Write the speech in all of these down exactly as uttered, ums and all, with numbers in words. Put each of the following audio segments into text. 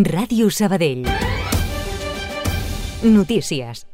Ràdio Sabadell. Notícies.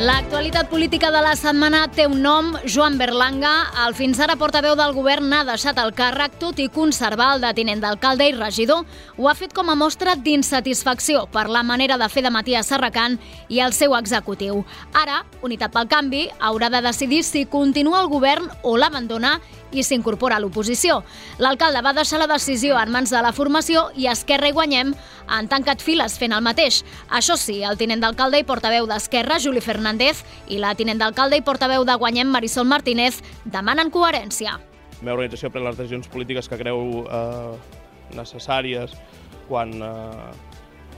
L'actualitat política de la setmana té un nom, Joan Berlanga. El fins ara portaveu del govern n'ha deixat el càrrec, tot i conservar el de tinent d'alcalde i regidor. Ho ha fet com a mostra d'insatisfacció per la manera de fer de Matías Serracant i el seu executiu. Ara, Unitat pel Canvi haurà de decidir si continua el govern o l'abandona i s'incorpora a l'oposició. L'alcalde va deixar la decisió en mans de la formació i Esquerra i Guanyem han tancat files fent el mateix. Això sí, el tinent d'alcalde i portaveu d'Esquerra, Juli Fernández, i la tinent d'alcalde i portaveu de Guanyem, Marisol Martínez, demanen coherència. La meva organització pren les decisions polítiques que creu eh, necessàries quan, eh,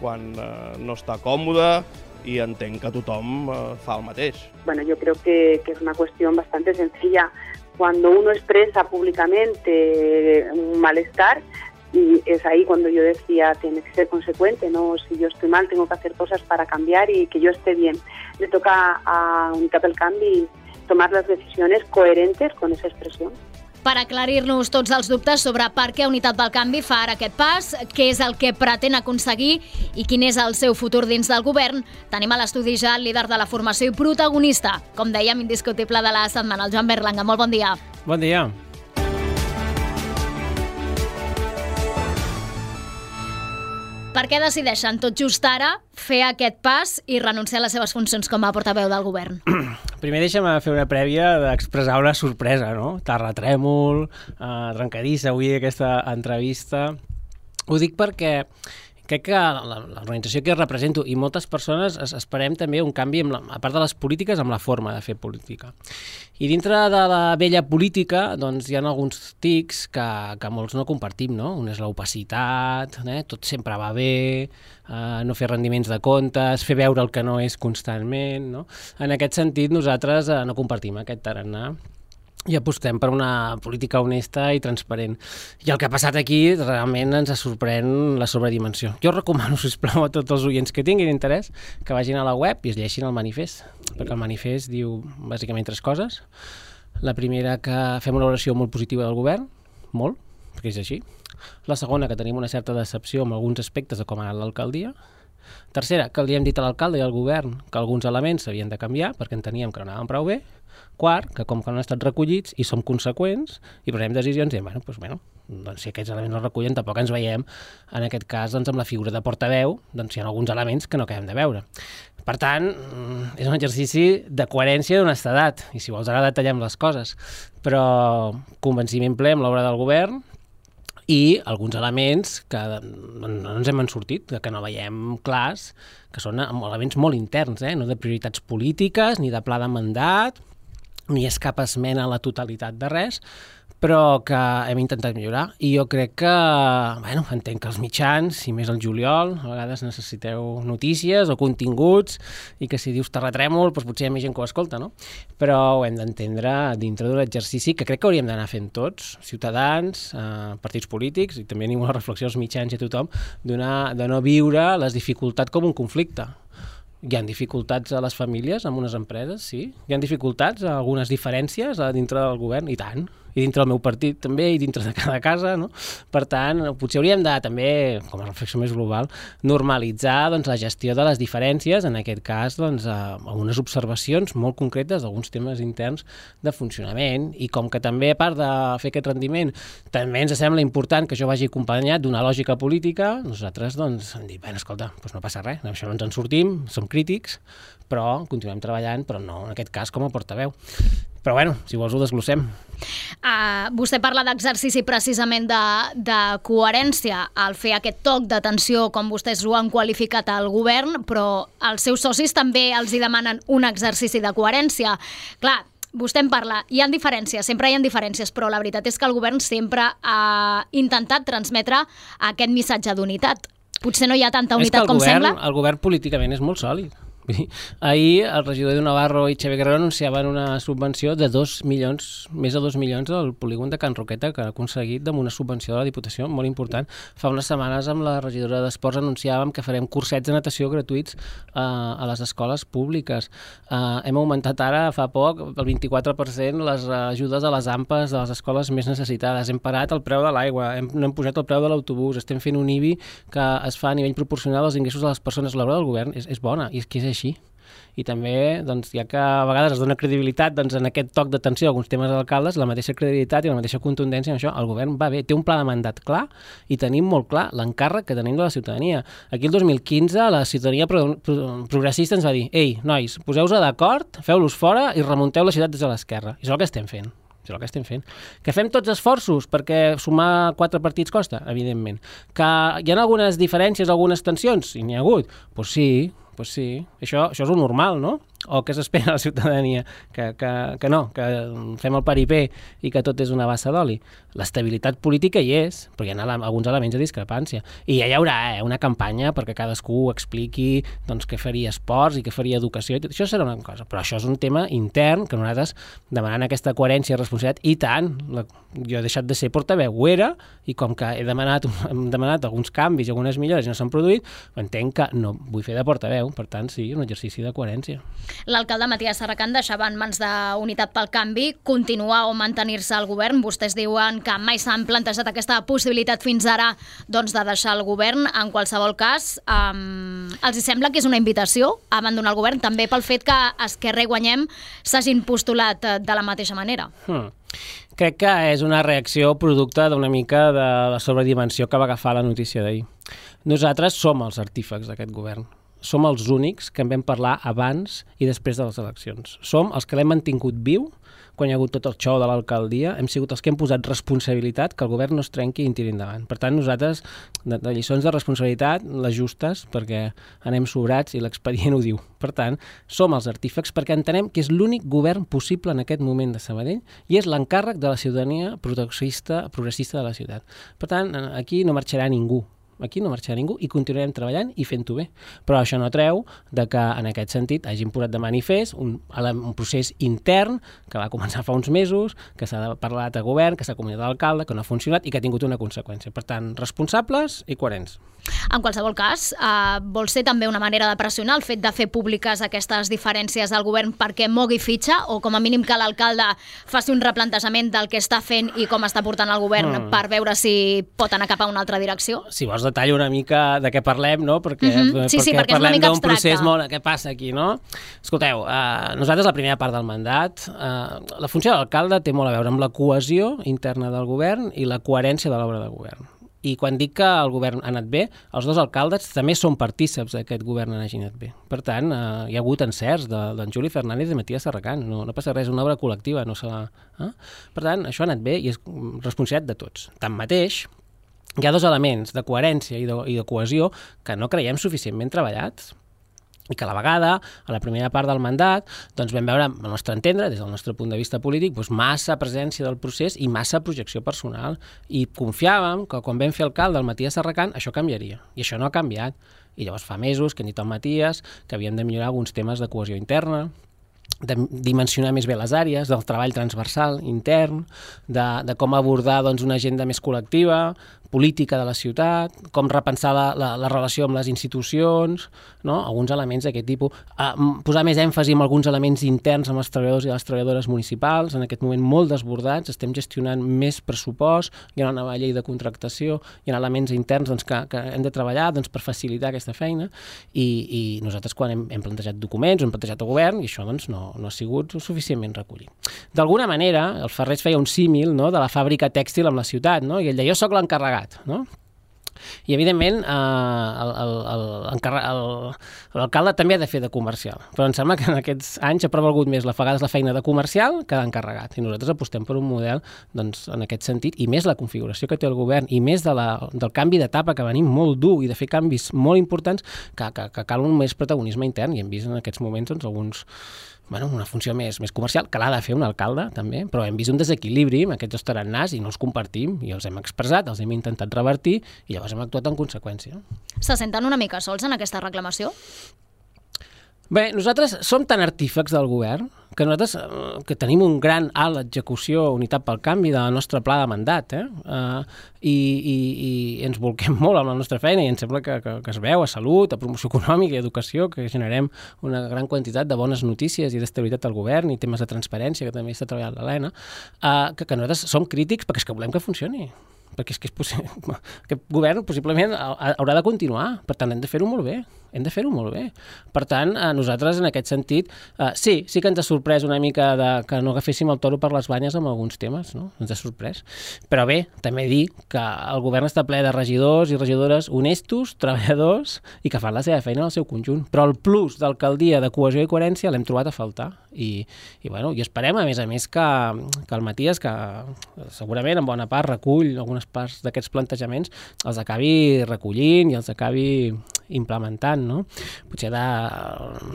quan eh, no està còmode y entenc que tothom eh, fa el mateix. Bueno, yo creo que, que es una cuestión bastante sencilla. Cuando uno expresa públicamente un malestar, y es ahí cuando yo decía, tiene que ser consecuente, ¿no? Si yo estoy mal, tengo que hacer cosas para cambiar y que yo esté bien. Le toca a Unitat pel Canvi tomar las decisiones coherentes con esa expresión. Per aclarir-nos tots els dubtes sobre per què Unitat pel Canvi fa ara aquest pas, què és el que pretén aconseguir i quin és el seu futur dins del govern, tenim a l'estudi ja el líder de la formació i protagonista, com dèiem, indiscutible de la setmana, el Joan Berlanga. Molt bon dia. Bon dia. Per què decideixen tot just ara fer aquest pas i renunciar a les seves funcions com a portaveu del govern? Primer deixa'm fer una prèvia d'expressar una sorpresa, no? Terratrèmol, eh, trencadissa avui aquesta entrevista. Ho dic perquè crec que l'organització que represento i moltes persones esperem també un canvi, amb la, a part de les polítiques, amb la forma de fer política. I dintre de la vella política doncs, hi ha alguns tics que, que molts no compartim, no? Un és l'opacitat, eh? Tot sempre va bé, eh, no fer rendiments de comptes, fer veure el que no és constantment, no? En aquest sentit, nosaltres eh, no compartim aquest tarannà i apostem per una política honesta i transparent. I el que ha passat aquí realment ens sorprèn la sobredimensió. Jo recomano, sisplau, a tots els oients que tinguin interès que vagin a la web i es llegeixin el manifest, perquè el manifest diu bàsicament tres coses. La primera, que fem una valoració molt positiva del govern, molt, perquè és així. La segona, que tenim una certa decepció amb alguns aspectes de com ha anat l'alcaldia. Tercera, que li hem dit a l'alcalde i al govern que alguns elements s'havien de canviar perquè enteníem que no anaven prou bé. Quart, que com que no han estat recollits i som conseqüents i prenem decisions i diem, bueno, doncs, bueno, doncs si aquests elements no es recullen tampoc ens veiem, en aquest cas doncs, amb la figura de portaveu, doncs hi ha alguns elements que no acabem de veure. Per tant, és un exercici de coherència i d'honestedat, i si vols ara detallem les coses, però convenciment ple amb l'obra del govern i alguns elements que no ens hem sortit, que no veiem clars, que són elements molt interns, eh? No de prioritats polítiques, ni de pla de mandat, ni és cap esmena a la totalitat de res, però que hem intentat millorar. I jo crec que, bueno, entenc que els mitjans, i més el juliol, a vegades necessiteu notícies o continguts, i que si dius terratrèmol, doncs potser hi ha més gent que ho escolta, no? Però ho hem d'entendre dintre d'un exercici que crec que hauríem d'anar fent tots, ciutadans, eh, partits polítics, i també animo a la reflexió als mitjans i a tothom, de no viure les dificultats com un conflicte. Hi ha dificultats a les famílies, amb unes empreses, sí. Hi ha dificultats, algunes diferències dintre del govern, i tant. I dintre del meu partit també, i dintre de cada casa, no? Per tant, potser hauríem de també, com a reflexió més global, normalitzar doncs, la gestió de les diferències, en aquest cas, doncs, algunes observacions molt concretes d'alguns temes interns de funcionament, i com que també, a part de fer aquest rendiment, també ens sembla important que això vagi acompanyat d'una lògica política, nosaltres doncs, hem dit, bé, escolta, doncs no passa res, això no ens en sortim, som crítics, però continuem treballant, però no, en aquest cas, com a portaveu. Però bueno, si vols ho desglossem. Uh, vostè parla d'exercici precisament de, de coherència al fer aquest toc d'atenció, com vostès ho han qualificat al govern, però els seus socis també els hi demanen un exercici de coherència. Clar, vostè en parla, hi ha diferències, sempre hi ha diferències, però la veritat és que el govern sempre ha intentat transmetre aquest missatge d'unitat. Potser no hi ha tanta unitat com govern, sembla. El govern políticament és molt sòlid. Ahir el regidor de Navarro i Xavier Guerrero anunciaven una subvenció de dos milions, més de dos milions al polígon de Can Roqueta, que ha aconseguit amb una subvenció de la Diputació molt important. Fa unes setmanes amb la regidora d'Esports anunciàvem que farem cursets de natació gratuïts eh, a les escoles públiques. Eh, hem augmentat ara, fa poc, el vint-i-quatre per cent les ajudes a les AMPAs de les escoles més necessitades. Hem parat el preu de l'aigua, hem, no hem pujat el preu de l'autobús, estem fent un I B I que es fa a nivell proporcional als ingressos de les persones. L'obra del govern és, és bona, i és que és així. I també, doncs, ja que a vegades es dona credibilitat doncs, en aquest toc d'atenció a alguns temes d'alcaldes, la mateixa credibilitat i la mateixa contundència en això, el govern va bé, té un pla de mandat clar i tenim molt clar l'encàrrec que tenim de la ciutadania. Aquí el dos mil quinze la ciutadania pro pro progressista ens va dir: ei, nois, poseu-vos d'acord, feu-los fora i remunteu la ciutat des de l'esquerra. I és el que estem fent. És el que estem fent. Que fem tots esforços perquè sumar quatre partits costa? Evidentment. Que hi ha algunes diferències, algunes tensions? I n'hi ha hagut? Doncs pues sí, pues sí. Això, això és el normal, no? O què s'espera a la ciutadania? Que, que, que no, que fem el paripé i que tot és una bassa d'oli. L'estabilitat política hi és, però hi ha alguns elements de discrepància. I ja hi haurà eh, una campanya perquè cadascú expliqui doncs, què faria esports i què faria educació. I tot això serà una cosa. Però això és un tema intern que nosaltres demanant aquesta coherència i responsabilitat, i tant, la, jo he deixat de ser portaveu, ho era, i com que he demanat, hem demanat alguns canvis i algunes millores i no s'han produït, entenc que no vull fer de portaveu. Per tant, sí, un exercici de coherència. L'alcalde Matías Serracant deixava en mans d'Unitat pel Canvi continuar o mantenir-se al govern. Vostès diuen que mai s'han plantejat aquesta possibilitat fins ara doncs, de deixar el govern. En qualsevol cas, um, els sembla que és una invitació a abandonar el govern, també pel fet que Esquerra i Guanyem s'hagin postulat de la mateixa manera. Hmm. Crec que és una reacció producte d'una mica de la sobredimensió que va agafar la notícia d'ahir. Nosaltres som els artífecs d'aquest govern. Som els únics que en vam parlar abans i després de les eleccions. Som els que l'hem mantingut viu quan hi ha hagut tot el xou de l'alcaldia. Hem sigut els que hem posat responsabilitat que el govern no es trenqui i en tiri endavant. Per tant, nosaltres, de, de lliçons de responsabilitat, les justes, perquè anem sobrats i l'expedient ho diu. Per tant, som els artífecs perquè entenem que és l'únic govern possible en aquest moment de Sabadell i és l'encàrrec de la ciutadania progressista, progressista de la ciutat. Per tant, aquí no marxarà ningú. Aquí no marxarà ningú i continuarem treballant i fent-ho bé. Però això no treu de que en aquest sentit hagin posat de manifest un, un procés intern que va començar fa uns mesos, que s'ha parlat a govern, que s'ha comunicat a l'alcalde, que no ha funcionat i que ha tingut una conseqüència. Per tant, responsables i coherents. En qualsevol cas, eh, vol ser també una manera de pressionar el fet de fer públiques aquestes diferències al govern perquè mogui fitxa, o com a mínim que l'alcalde faci un replantejament del que està fent i com està portant el govern mm. per veure si pot anar cap a una altra direcció? Si vols detallar una mica de què parlem, no? Perquè, mm-hmm. sí, perquè, sí, perquè parlem d'un procés molt... Què passa aquí, no? Escolteu, eh, nosaltres la primera part del mandat, eh, la funció de l'alcalde té molt a veure amb la cohesió interna del govern i la coherència de l'obra de govern. I quan dic que el govern ha anat bé, els dos alcaldes també són partíceps d'aquest govern hagi anat bé. Per tant, eh, hi ha hagut encerts d'en de, Juli Fernández i de Matías Serracant. No, no passa res, una obra col·lectiva. No se la, eh? Per tant, això ha anat bé i és responsabilitat de tots. Tanmateix, hi ha dos elements de coherència i de, i de cohesió que no creiem suficientment treballats. I que a la vegada, a la primera part del mandat, doncs vam veure, al nostre entendre, des del nostre punt de vista polític, doncs massa presència del procés i massa projecció personal. I confiàvem que quan vam fer alcalde el Matías Serracant això canviaria. I això no ha canviat. I llavors fa mesos que hem dit al Matías que havíem de millorar alguns temes de cohesió interna, de dimensionar més bé les àrees, del treball transversal intern, de, de com abordar doncs, una agenda més col·lectiva, política de la ciutat, com repensar la, la, la relació amb les institucions, no? Alguns elements d'aquest tipus, uh, posar més èmfasi en alguns elements interns amb els treballadors i les treballadores municipals, en aquest moment molt desbordats, estem gestionant més pressupost, hi ha una nova llei de contractació, hi ha elements interns doncs, que, que hem de treballar doncs, per facilitar aquesta feina, i, i nosaltres quan hem, hem plantejat documents, hem plantejat el govern, i això doncs, no, no ha sigut suficientment recollit. D'alguna manera, el Ferrés feia un símil, no?, de la fàbrica tèxtil amb la ciutat, no? I ell deia, jo soc l'encarregat, no? I evidentment l'alcalde també ha de fer de comercial, però em sembla que en aquests anys ha prevalgut més la vegades la feina de comercial que d'encarregat, i nosaltres apostem per un model doncs, en aquest sentit, i més la configuració que té el govern i més de la, del canvi d'etapa que venim molt dur i de fer canvis molt importants que, que, que cal un més protagonisme intern, i hem vist en aquests moments doncs, alguns bueno, una funció més, més comercial, que l'ha de fer un alcalde, també, però hem vist un desequilibri amb aquests dos tarannàs i no els compartim, i els hem expressat, els hem intentat revertir, i llavors hem actuat en conseqüència. Se senten una mica sols en aquesta reclamació? Bé, nosaltres som tan artífecs del govern que nosaltres eh, que tenim un gran alt execució Unitat pel Canvi de la nostra pla de mandat, eh? Uh, i, i, i ens volquem molt amb la nostra feina i em sembla que, que, que es veu a salut, a promoció econòmica i educació, que generem una gran quantitat de bones notícies i d'estabilitat al govern i temes de transparència, que també està treballant l'Helena, uh, que, que nosaltres som crítics perquè és que volem que funcioni. Perquè és que és possible, aquest govern possiblement haurà de continuar, per tant hem de fer-ho molt bé, hem de fer-ho molt bé. Per tant, nosaltres en aquest sentit, eh, sí, sí que ens ha sorprès una mica de, que no agaféssim el toro per les banyes amb alguns temes, no? Ens ha sorprès. Però bé, també dir que el govern està ple de regidors i regidores honestos, treballadors i que fan la seva feina en el seu conjunt. Però el plus d'alcaldia, de cohesió i coherència l'hem trobat a faltar. I, i, bueno, i esperem, a més a més, que, que el Matías, que segurament en bona part recull algunes parts d'aquests plantejaments, els acabi recollint i els acabi implementant, no? Potser de,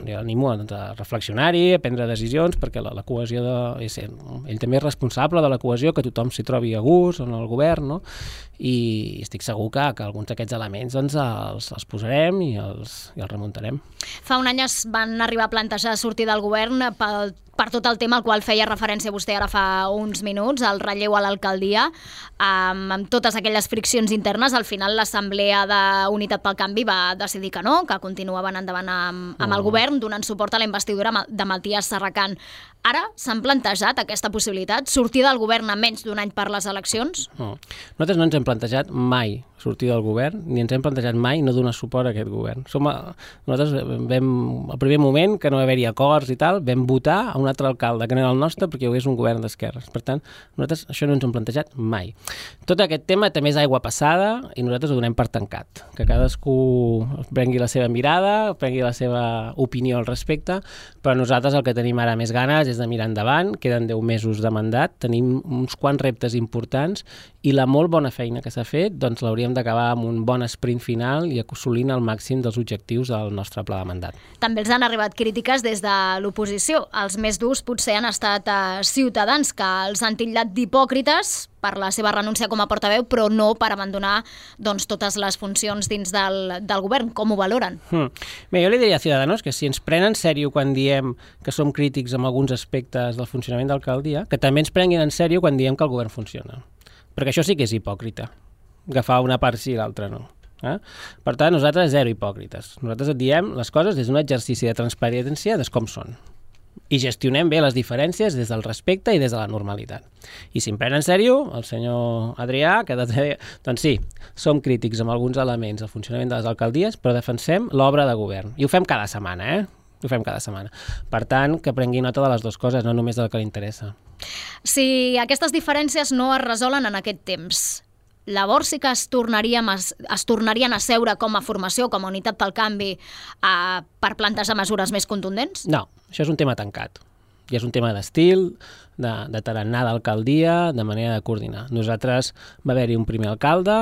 jo l'animo doncs, a reflexionar-hi, a prendre decisions, perquè la, la cohesió de, és, ell també és responsable de la cohesió, que tothom s'hi trobi a gust en el govern, no? I estic segur que, que alguns d'aquests elements doncs, els, els posarem i els, i els remuntarem. Fa un any es van arribar a plantejar sortir del govern pel per tot el tema al qual feia referència vostè ara fa uns minuts, el relleu a l'alcaldia, amb, amb totes aquelles friccions internes. Al final l'Assemblea d'Unitat pel Canvi va decidir que no, que continuaven endavant amb, amb el govern, donant suport a la investidura de Matías Serracant. Ara s'han plantejat aquesta possibilitat, sortir del govern a menys d'un any per les eleccions? No. Nosaltres no ens hem plantejat mai sortir del govern, ni ens hem plantejat mai no donar suport a aquest govern. Som a, nosaltres vam, al primer moment, que no va haver-hi acords i tal, vam votar a un altre alcalde, que no era el nostre, perquè hi hagués un govern d'esquerres. Per tant, nosaltres això no ens hem plantejat mai. Tot aquest tema també és aigua passada i nosaltres ho donem per tancat. Que cadascú prengui la seva mirada, prengui la seva opinió al respecte, però nosaltres el que tenim ara més ganes és de mirar endavant, queden deu mesos de mandat, tenim uns quants reptes importants i la molt bona feina que s'ha fet doncs l'hauríem d'acabar amb un bon sprint final i assolint el màxim dels objectius del nostre pla de mandat. També els han arribat crítiques des de l'oposició. Els més durs potser han estat a Ciutadans, que els han titllat d'hipòcrites per la seva renúncia com a portaveu, però no per abandonar doncs, totes les funcions dins del, del govern. Com ho valoren? Hmm. Bé, jo li diria a Ciudadanos que si ens prenen en sèrio quan diem que som crítics amb alguns aspectes del funcionament d'alcaldia, que també ens prenguin en sèrio quan diem que el govern funciona. Perquè això sí que és hipòcrita, agafar una part sí i l'altra no. Eh? Per tant, nosaltres zero hipòcrites. Nosaltres et diem les coses des d'un exercici de transparència de com són. I gestionem bé les diferències des del respecte i des de la normalitat. I si em pren en sèrio, el senyor Adrià, que de... doncs sí, som crítics amb alguns elements del funcionament de les alcaldies, però defensem l'obra de govern. I ho fem cada setmana, eh? Ho fem cada setmana. Per tant, que prengui nota de les dues coses, no només del que li interessa. Si aquestes diferències no es resolen en aquest temps, llavors sí que es tornarien a, es tornarien a seure com a formació, com a Unitat pel Canvi, a, per plantejar mesures més contundents? No, això és un tema tancat. I és un tema d'estil, de, de tarannà d'alcaldia, de manera de coordinar. Nosaltres va haver-hi un primer alcalde,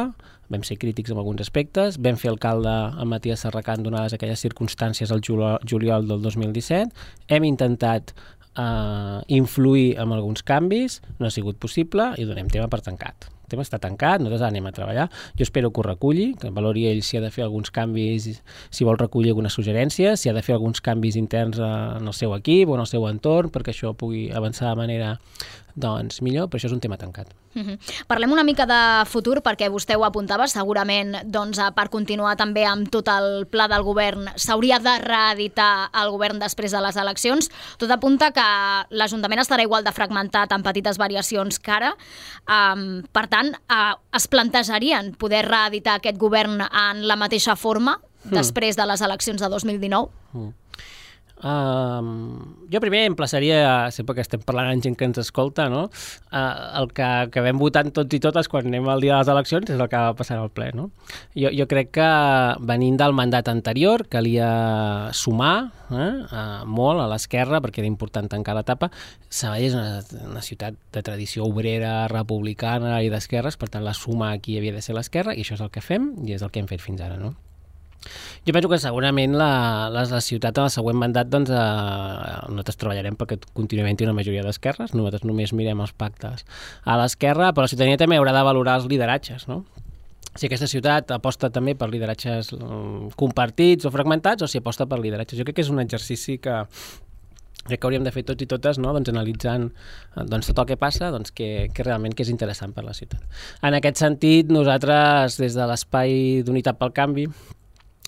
vam ser crítics en alguns aspectes, vam fer alcalde amb Matías Serracant donades aquelles circumstàncies al juliol del dos mil disset, hem intentat uh, influir en alguns canvis, no ha sigut possible i donem tema per tancat. El tema està tancat, nosaltres anem a treballar. Jo espero que ho reculli, que valori ell si ha de fer alguns canvis, si vol recollir algunes suggerències, si ha de fer alguns canvis interns en el seu equip o en el seu entorn, perquè això pugui avançar de manera doncs millor, però això és un tema tancat. Mm-hmm. Parlem una mica de futur, perquè vostè ho apuntava, segurament doncs, per continuar també amb tot el pla del govern s'hauria de reeditar el govern després de les eleccions. Tot apunta que l'Ajuntament estarà igual de fragmentat amb petites variacions que ara. Um, per tant, uh, es plantejarien poder reeditar aquest govern en la mateixa forma mm. després de les eleccions de dos mil dinou? Mm. Uh, jo primer emplaçaria, sempre que estem parlant amb gent que ens escolta, no? uh, el que acabem votant tots i totes quan anem al dia de les eleccions és el que va passar al ple, no? Jo, jo crec que venint del mandat anterior calia sumar eh, uh, molt a l'esquerra, perquè era important tancar l'etapa. Sabadell és una, una ciutat de tradició obrera, republicana i d'esquerres, per tant la suma aquí havia de ser l'esquerra i això és el que fem i és el que hem fet fins ara, no? Jo penso que segurament la, la, la ciutat en el següent mandat doncs, eh, nosaltres treballarem perquè continuament una majoria d'esquerres, nosaltres només mirem els pactes a l'esquerra, però la ciutadania també haurà de valorar els lideratges, no? si aquesta ciutat aposta també per lideratges compartits o fragmentats o si aposta per lideratges. Jo crec que és un exercici que crec que hauríem de fer tots i totes, no? Doncs analitzant doncs, tot el que passa, doncs, que, que realment que és interessant per la ciutat. En aquest sentit, nosaltres, des de l'Espai d'Unitat pel Canvi,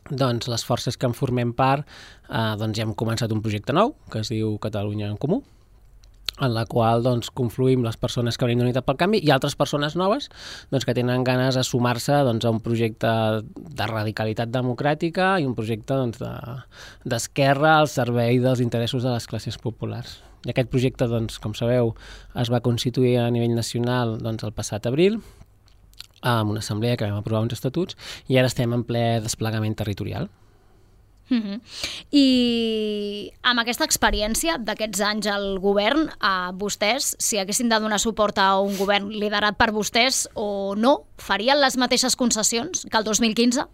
doncs, les forces que en formem part, eh, doncs, ja hem començat un projecte nou, que es diu Catalunya en Comú, en la qual doncs, confluïm les persones que venim d'Unitat pel Canvi i altres persones noves doncs, que tenen ganes de sumar-se doncs, a un projecte de radicalitat democràtica i un projecte doncs, d'esquerra al servei dels interessos de les classes populars. I aquest projecte, doncs, com sabeu, es va constituir a nivell nacional doncs, el passat abril amb una assemblea que vam aprovar uns estatuts i ara estem en ple desplegament territorial. Uh-huh. I amb aquesta experiència d'aquests anys al govern, a vostès, si haguessin de donar suport a un govern liderat per vostès o no, farien les mateixes concessions que el dos mil quinze?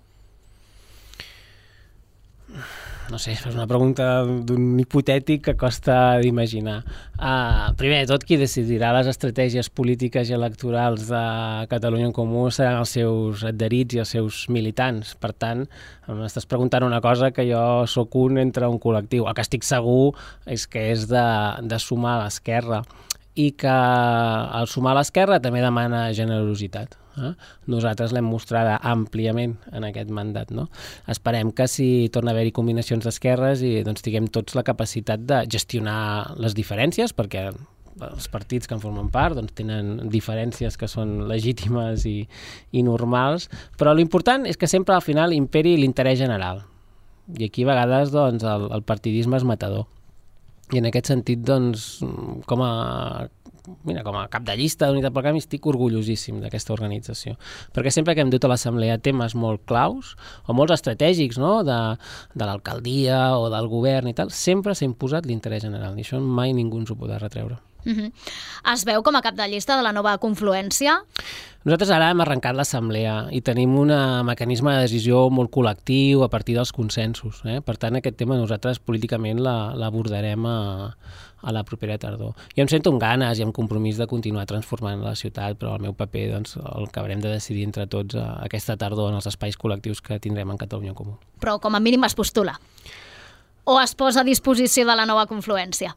No sé, és una pregunta d'un hipotètic que costa d'imaginar. Uh, primer de tot, qui decidirà les estratègies polítiques i electorals de Catalunya en Comú seran els seus adherits i els seus militants. Per tant, m'estàs preguntant una cosa que jo sóc un entre un col·lectiu. El que estic segur és que és de, de sumar a l'esquerra i que el sumar a l'esquerra també demana generositat. Eh? Nosaltres l'hem mostrada àmpliament en aquest mandat. No? Esperem que si torna a haver-hi combinacions d'esquerres i doncs, tinguem tots la capacitat de gestionar les diferències, perquè els partits que en formen part doncs, tenen diferències que són legítimes i, i normals, però l'important és que sempre al final imperi l'interès general. I aquí a vegades doncs, el, el partidisme és matador. I en aquest sentit, doncs, com a, mira, com a cap de llista d'Unitat pel Canvi estic orgullosíssim d'aquesta organització. Perquè sempre que hem dut a l'assemblea temes molt claus o molts estratègics, no? de, de l'alcaldia o del govern i tal, sempre s'ha imposat l'interès general i això mai ningú ens ho podrà retreure. Uh-huh. Es veu com a cap de llista de la nova confluència? Nosaltres ara hem arrencat l'assemblea i tenim un mecanisme de decisió molt col·lectiu a partir dels consensos. Eh? Per tant, aquest tema nosaltres políticament l'abordarem a, a la propera tardor. Jo em sento amb ganes i amb compromís de continuar transformant la ciutat, però el meu paper doncs, el que haurem de decidir entre tots a, aquesta tardor en els espais col·lectius que tindrem en Catalunya en Comú. Però com a mínim es postula? O es posa a disposició de la nova confluència?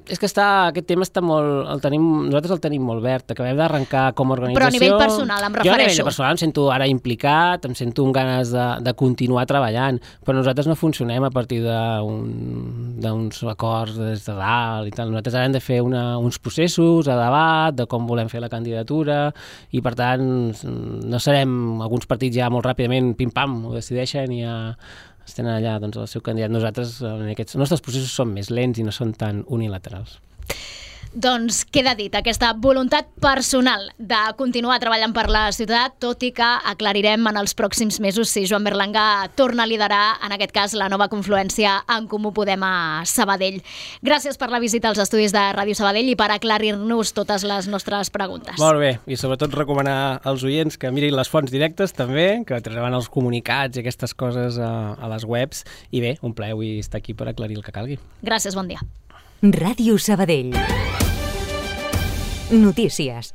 És que està, aquest tema està molt... El tenim, nosaltres el tenim molt verd. Acabem d'arrencar com a organització... Però a nivell personal, em refereixo. Jo a nivell personal em sento ara implicat, em sento amb ganes de, de continuar treballant, però nosaltres no funcionem a partir d'uns un, acords des de dalt i tal. Nosaltres ara hem de fer una, uns processos a debat de com volem fer la candidatura i, per tant, no serem... Alguns partits ja molt ràpidament, pim-pam, ho decideixen i ja... estan allà doncs, el seu candidat. Nosaltres, en aquests, els nostres processos són més lents i no són tan unilaterals. Doncs queda dit, aquesta voluntat personal de continuar treballant per la ciutat, tot i que aclarirem en els pròxims mesos si Joan Berlanga torna a liderar, en aquest cas, la nova confluència en Comú Podem a Sabadell. Gràcies per la visita als estudis de Ràdio Sabadell i per aclarir-nos totes les nostres preguntes. Molt bé, i sobretot recomanar als oients que mirin les fonts directes també, que treuen els comunicats i aquestes coses a, a les webs, i bé, un plaer avui estar aquí per aclarir el que calgui. Gràcies, bon dia. Ràdio Sabadell. Notícies.